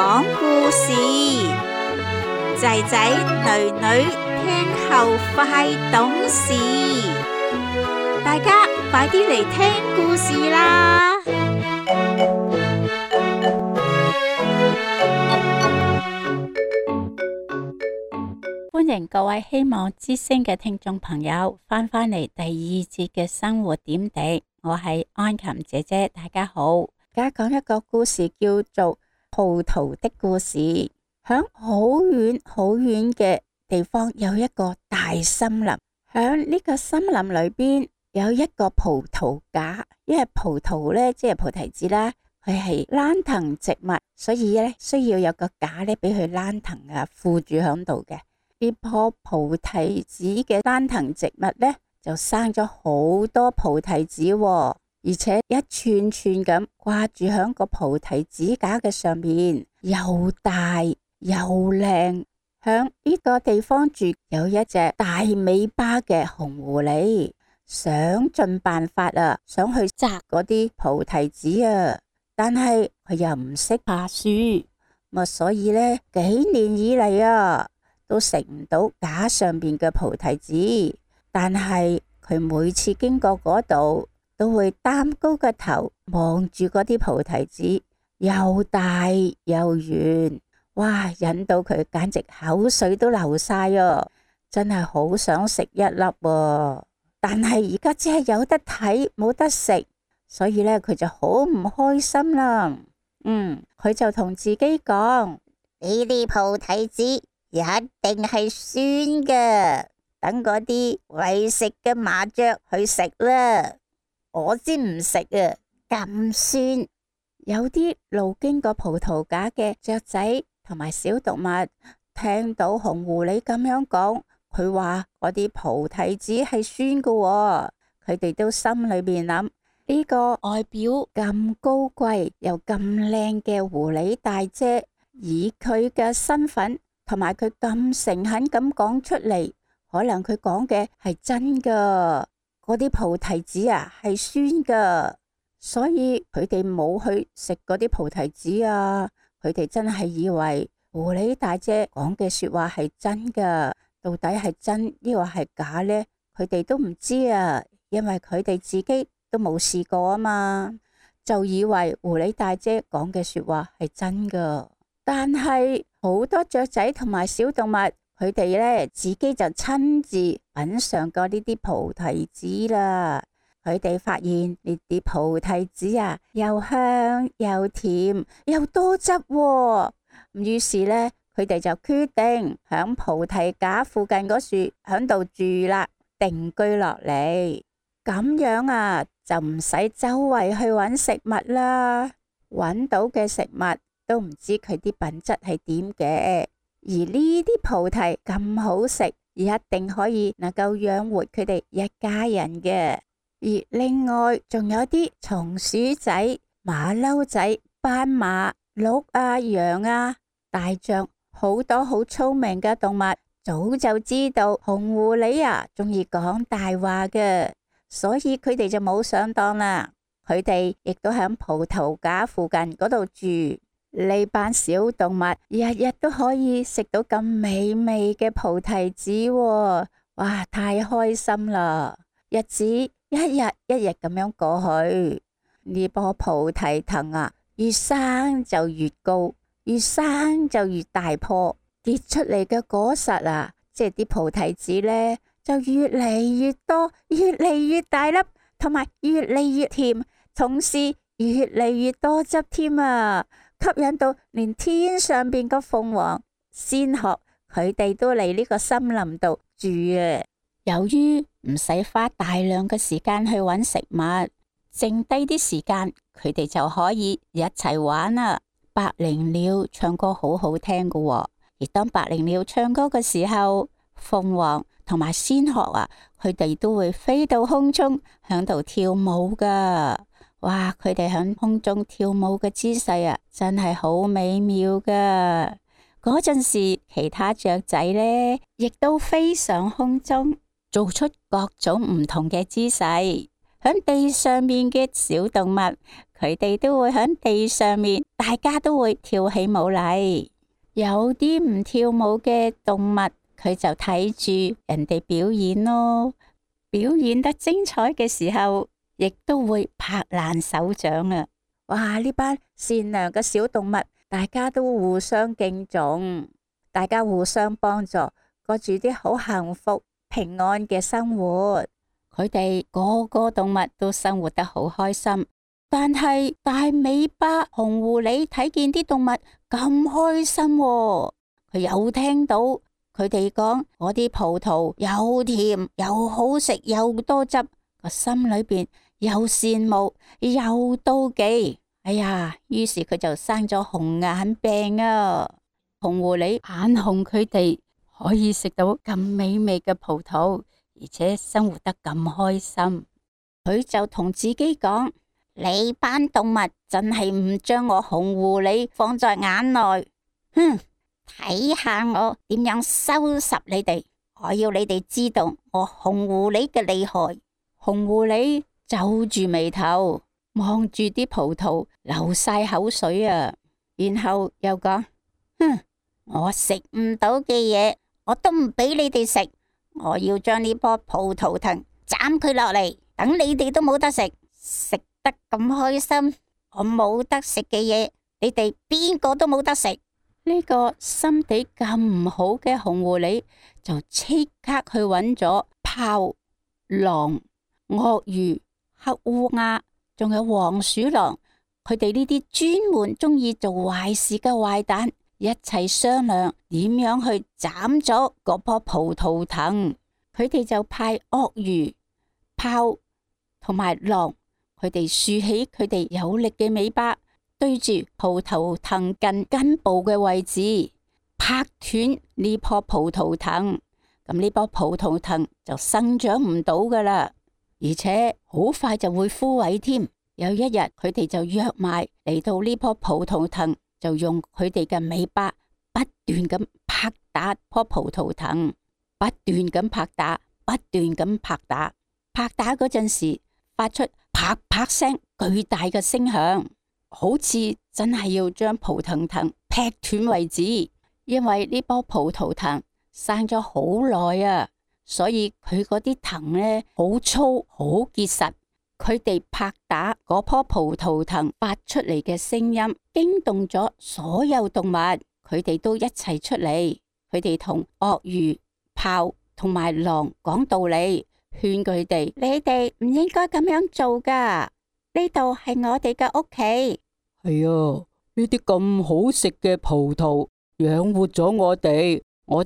講故事，仔仔女女聽後快懂事，大家快啲嚟聽故事啦！歡迎各位希望之聲嘅聽眾朋友翻嚟第二節嘅生活點滴，我係安琴姐姐，大家好。而家講一個故事，叫做葡萄的故事。響好遠好遠嘅地方有一個大森林，響呢個森林裏邊有一個葡萄架，因為葡萄呢，即係菩提子啦，佢係蘭藤植物，所以呢需要有個架呢俾佢蘭藤附住響度嘅。呢棵菩提子嘅蘭藤植物呢，就生咗好多菩提子喎，而且一串串咁掛住響個菩提子架嘅上面，又大又靚。響呢個地方住有一隻大尾巴嘅紅狐狸，想盡辦法想去摘嗰啲菩提子但係佢又唔識爬樹，所以呢幾年以嚟都食唔到架上邊嘅菩提子。但係佢每次經過嗰度，都會擔高個頭望住嗰啲菩提子，又大又圓，哇！引到佢簡直口水都流晒真係好想食一粒但係而家只係有得睇冇得食，所以呢，佢就好唔開心啦。佢就同自己講：呢啲菩提子一定係酸嘅，等嗰啲為食嘅麻雀去食啦，我先唔食咁酸。有啲路經過葡萄架嘅雀仔同埋小動物聽到紅狐狸咁樣講，佢話嗰啲菩提子係酸嘅佢哋都心裏面諗：呢個外表咁高貴又咁靚嘅狐狸大姐，以佢嘅身份同埋佢咁誠懇咁講出嚟，可能佢講嘅係真噶，嗰啲菩提子係酸噶，所以佢哋冇去食嗰啲菩提子佢哋真係以為狐狸大姐講嘅說話係真噶，到底係真抑或係假呢？佢哋都唔知因為佢哋自己都冇試過嘛，就以為狐狸大姐講嘅說話係真噶。但係好多雀仔同埋小動物，佢哋呢自己就親自品嘗過呢啲菩提子啦。佢哋發現呢啲菩提子又香又甜又多汁於是呢，佢哋就決定響菩提架附近嗰樹響度住啦，定居落嚟。咁樣就唔使周圍去揾食物啦，揾到嘅食物都唔知佢啲品質係點嘅。而呢啲菩提咁好食，一定可以能夠養活佢哋一家人嘅。而另外仲有啲松鼠仔、馬騮仔、斑馬、鹿羊大象，好多好聰明嘅動物，早就知道紅狐狸中意講大話嘅，所以佢哋就冇上當啦。佢哋亦都喺葡萄架附近嗰度住。呢班小動物日日都可以食到咁美味嘅菩提子哇！太開心啦！日子一日一日咁樣過去，呢棵菩提藤越生就越高，越生就越大棵，結出嚟嘅果實即係啲菩提子呢，就越嚟越多，越嚟越大粒，同埋越嚟越甜，同時越嚟越多汁添吸引到連天上邊個鳳凰、仙鶴，佢哋都嚟呢個森林度住由於唔使花大量嘅時間去揾食物，剩低啲時間佢哋就可以一齊玩百靈鳥唱歌好好聽㗎而當百靈鳥唱歌嘅時候，鳳凰同埋仙鶴佢哋都會飛到空中響度跳舞㗎。哇！佢哋響空中跳舞嘅姿勢真係好美妙噶。嗰陣時，其他雀仔呢亦都飛上空中，做出各種唔同嘅姿勢。響地上面嘅小動物，佢哋都會喺地上面，大家都會跳起舞嚟。有啲唔跳舞嘅動物，佢就睇住人哋表演咯。表演得精彩嘅時候，亦都會拍爛手掌啊！哇！呢班善良嘅小動物，大家都互相敬重，大家互相幫助，過住啲好幸福平安嘅生活。佢哋個個動物都生活得好開心。但係大尾巴紅狐狸睇見啲動物咁開心喎，佢又聽到佢哋講嗰啲葡萄又甜又好食又多汁，個心裏邊又羨慕又妒忌。哎呀，於是佢就生咗紅眼病啊！紅狐狸眼紅佢哋可以食到咁美味嘅葡萄，而且生活得咁開心，佢就同自己講：你班動物真係唔將我紅狐狸放在眼內，哼！睇下我點樣收拾你哋！我要你哋知道我紅狐狸嘅厲害。紅狐狸皺住眉頭，望住啲葡萄流晒口水啊！然後又講：哼！我食唔到嘅嘢，我都唔俾你哋食。我要將呢棵葡萄藤斬佢落嚟，等你哋都冇得食。食得咁開心，我冇得食嘅嘢，你哋邊個都冇得食。呢個心地咁唔好嘅紅狐狸就即刻去揾咗豹、狼、鱷魚、黑烏鴉，仲有黃鼠狼，佢哋呢啲專門中意做壞事嘅壞蛋，一齊商量點樣去斬咗嗰棵葡萄藤。佢哋就派鱷魚、豹同埋狼，佢哋豎起佢哋有力嘅尾巴，對住葡萄藤近根部嘅位置，拍斷呢棵葡萄藤。咁呢棵葡萄藤就生長唔到噶啦，而且好快就會枯萎添。有一日，佢哋就約埋嚟到呢棵葡萄藤，就用佢哋嘅尾巴不斷咁拍打棵葡萄藤，不斷咁拍打，不斷咁拍打。拍打嗰陣時，發出啪啪聲巨大嘅聲響，好似真係要將葡萄藤劈斷為止。因為呢棵葡萄藤生咗好耐啊，所以佢嗰啲藤呢好粗好結實。佢哋拍打嗰棵葡萄藤發出嚟嘅聲音，驚動咗所有動物，佢哋都一齊出嚟。佢哋同鱷魚、豹同埋狼講道理，勸佢哋：你哋唔應該咁樣做噶，呢度係我哋嘅屋企。係啊，呢啲咁好食嘅葡萄養活咗我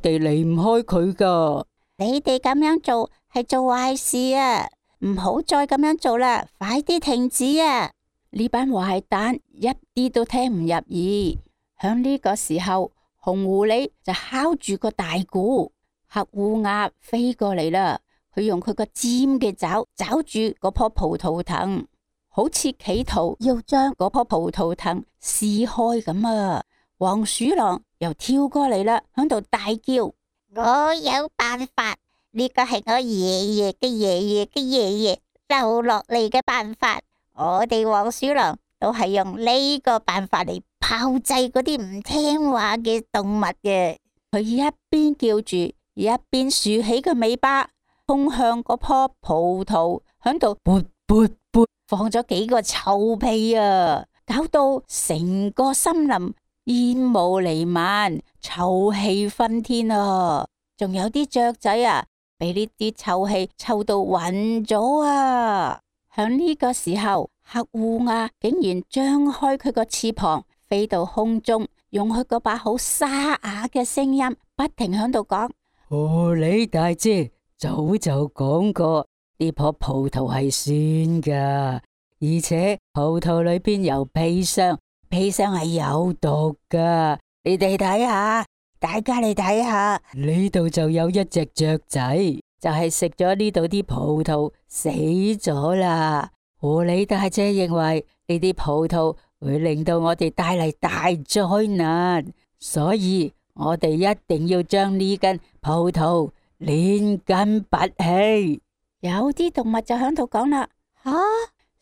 哋離唔開佢噶。你哋咁樣做係做壞事啊！唔好再咁樣做啦，快啲停止啊！呢班壞蛋一啲都聽唔入耳。響呢個時候，紅狐狸就敲住個大鼓，黑烏鴉飛過嚟啦。佢用佢個尖嘅爪抓住嗰棵葡萄藤，好似企圖要將嗰棵葡萄藤撕開咁啊！黃鼠狼又跳過嚟啦，響度大叫：我有辦法！呢個係我爺爺嘅爺爺嘅爺爺留落嚟嘅辦法，我哋黃鼠狼都係用呢個辦法嚟炮製嗰啲唔聽話嘅動物嘅。佢一邊叫住，一邊豎起個尾巴，衝向嗰棵葡萄，響度噗噗噗放咗幾個臭屁啊，搞到成個森林煙霧彌漫，臭氣熏天啊！仲有啲雀仔啊，俾呢啲臭氣臭到暈咗啊！響呢個時候，黑烏鴉竟然張開佢個翅膀，飛到空中，用佢嗰把好沙啞嘅聲音，不停響度講：狐狸大姐早就講過，呢棵葡萄係酸噶，而且葡萄裏邊有砒霜，砒霜係有毒噶。你哋睇下。大家嚟睇下，呢度就有一隻雀仔，就係食咗呢度啲葡萄死咗啦。狐狸大姐認為呢啲葡萄會令到我哋帶嚟大災難，所以我哋一定要將呢根葡萄連根拔起。有啲動物就喺度講啦：吓，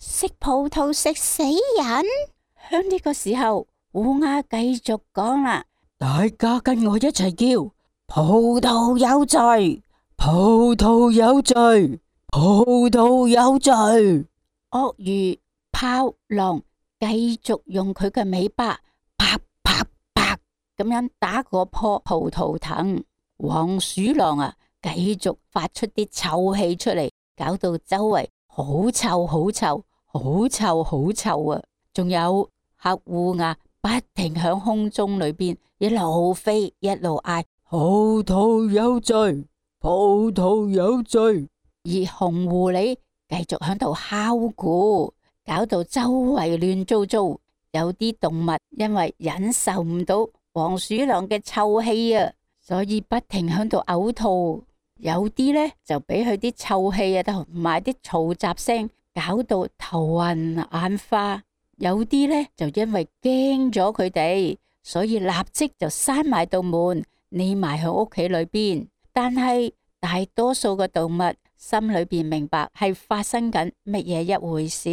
食葡萄食死人。響呢個時候，烏鴉繼續講啦：大家跟我一齊叫，葡萄有罪，葡萄有罪，葡萄有罪。鱷魚、豹、狼繼續用佢嘅尾巴啪啪啪咁樣打嗰棵葡萄藤。黃鼠狼啊，繼續發出啲臭氣出嚟，搞到周圍好臭好臭，好臭好臭啊！仲有黑烏鴉不停響空中裏邊一路飛一路嗌：葡萄有罪，葡萄有罪。而紅狐狸繼續響度敲鼓，搞到周圍亂糟糟。有啲動物因為忍受唔到黃鼠狼嘅臭氣啊，所以不停響度嘔吐。有啲呢就俾佢啲臭氣啊同埋啲嘈雜聲搞到頭暈眼花。有啲呢就因為驚咗佢哋，所以立即就閂埋道門，匿埋喺屋企裏邊。但係大多數嘅動物心裏邊明白係發生緊乜嘢一回事，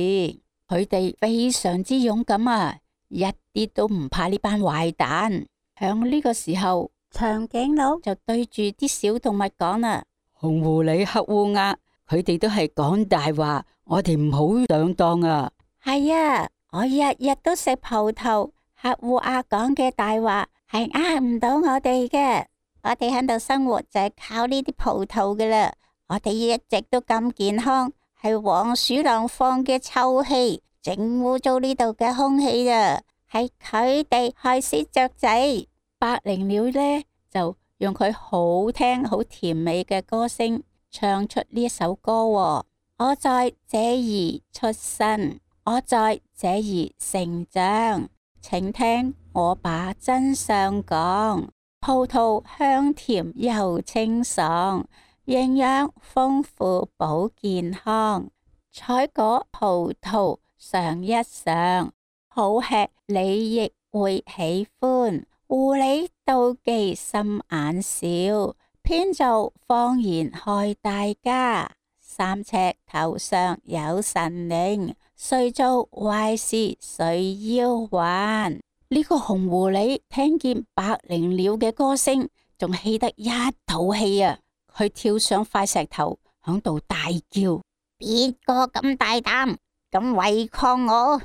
佢哋非常之勇敢啊，一啲都唔怕呢班壞蛋。響呢個時候，長頸鹿就對住啲小動物講啦：紅狐狸、黑烏鴉，佢哋都係講大話，我哋唔好上當啊！係啊，我日日都食葡萄，黑烏鴉講嘅大話係呃唔到我哋嘅。我哋喺度生活就係靠呢啲葡萄噶啦，我哋一直都咁健康，係黃鼠狼放嘅臭氣整污糟呢度嘅空氣啊，係佢哋害死雀仔。百靈鳥呢就用佢好聽好甜美嘅歌聲唱出呢一首歌喎：我在這兒出生，我在這兒成長，請聽我把真相講。葡萄香甜又清爽，營養豐富保健康，採果葡萄嘗一嘗，好吃你亦會喜歡。狐狸妒忌心眼小，編造謊言害大家。三尺頭上有神靈，誰做壞事誰要還。呢個紅狐狸聽見百靈鳥嘅歌聲，仲氣得一肚氣啊！佢跳上塊石頭，響度大叫：邊個咁大膽，咁違抗我？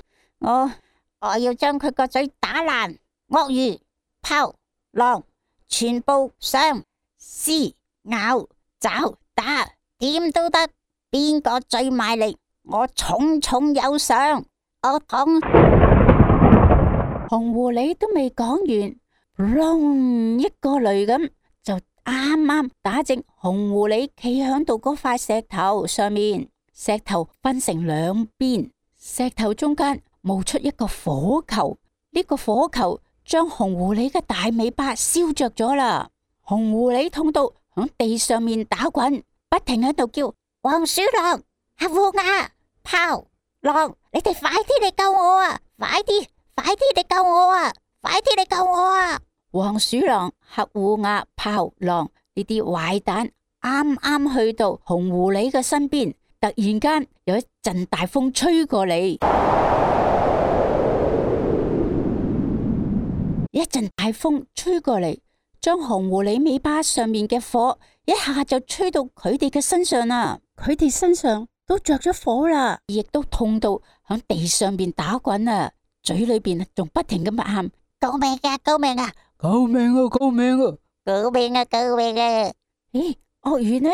我要將佢個嘴打爛！鱷魚、豹、狼，全部上撕、咬、爪、打，點都得。邊個最賣力，我重重有賞。我講。紅狐狸都未講完，隆一個雷咁就啱啱打正紅狐狸企響度嗰塊石頭上面。石頭分成兩邊，石頭中間冒出一個火球。呢個火球將紅狐狸嘅大尾巴燒着咗啦。紅狐狸痛到響地上面打滾，不停喺度叫：黃鼠狼、黑烏鴉、豹、狼，你哋快啲嚟救我啊！快啲嚟救我啊！快啲嚟救我啊！黃鼠狼、黑烏鴉、豹、狼呢啲壞蛋啱啱去到紅狐狸嘅身邊，突然間有一陣大風吹過嚟，一陣大風吹過嚟，將紅狐狸尾巴上面嘅火一下就吹到佢哋嘅身上啦。佢哋身上都着咗火啦，亦都痛到響地上邊打滾啊！嘴裏邊仲不停咁喊：救命啊！救命啊！救命啊！救命啊！救命啊！救命啊！咦，鱷魚呢？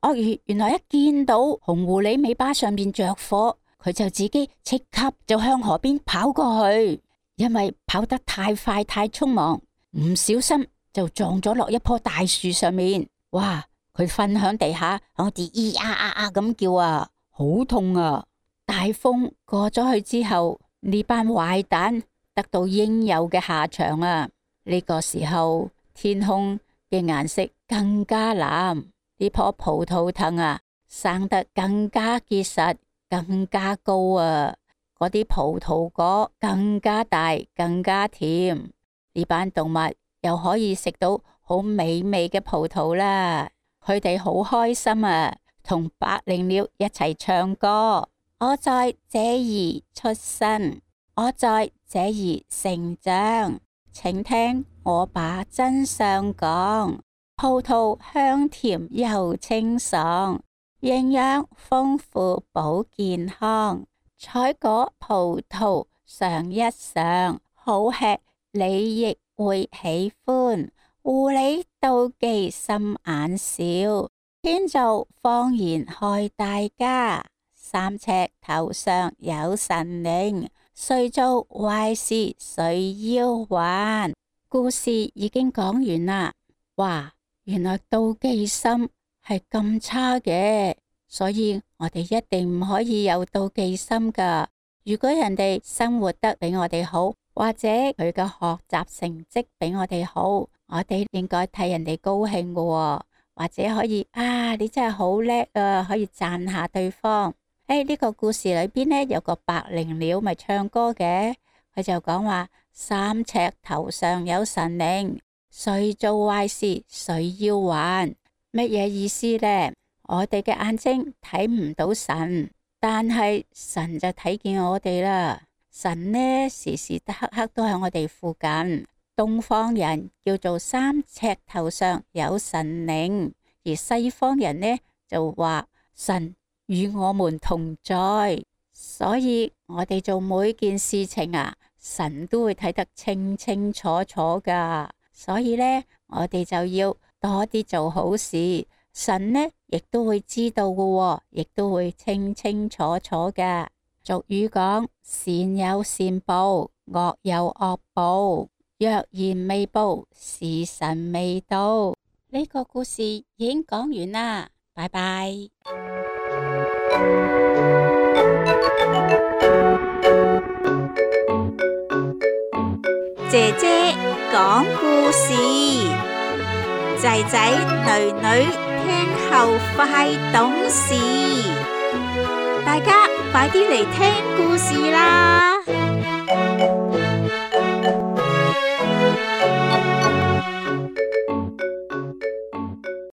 鱷魚原來一見到紅狐狸尾巴上邊着火，佢就自己即刻就向河邊跑過去，因為跑得太快太匆忙，唔小心就撞咗落一棵大樹上面。哇！佢瞓響地下，好似咿呀呀呀咁叫啊，好痛啊！大風過咗去之後，呢班壞蛋得到應有嘅下場啊！呢個時候天空嘅顏色更加藍，呢棵葡萄藤啊生得更加結實，更加高啊！嗰啲葡萄果更加大，更加甜。呢班動物又可以食到好美味嘅葡萄啦！佢哋好開心啊，同百靈鳥一齊唱歌。我在這兒出生，我在這兒成長。請聽我把真相講，葡萄香甜又清爽，營養豐富保健康，採果葡萄嘗一嘗，好吃你亦會喜歡。狐狸妒忌心眼小，天造謊言害大家。三尺頭上有神靈，誰做壞事誰要還。故事已經講完啦。哇，原來妒忌心係咁差嘅，所以我哋一定唔可以有妒忌心噶。如果人哋生活得比我哋好，或者佢嘅學習成績比我哋好，我哋應該替人哋高興嘅喎，或者可以你真係好叻啊，可以讚下對方。呢個故事裏邊呢，有個百靈鳥咪唱歌嘅，佢就講話三尺頭上有神靈，誰做壞事誰要還。乜嘢意思呢？我哋嘅眼睛睇唔到神，但係神就睇見我哋啦。神呢，時時刻刻都喺我哋附近。東方人叫做三尺頭上有神靈，而西方人呢就話神與我們同在。所以我哋做每件事情神都會睇得清清楚楚噶。所以呢，我哋就要多啲做好事，神呢亦都會知道噶，亦都會清清楚楚噶。俗語講，善有善報，惡有惡報。若然未報，時辰未到。呢個故事已經講完啦，拜拜。姐姐講故事，仔仔女女聽後快懂事。大家快啲嚟聽故事啦！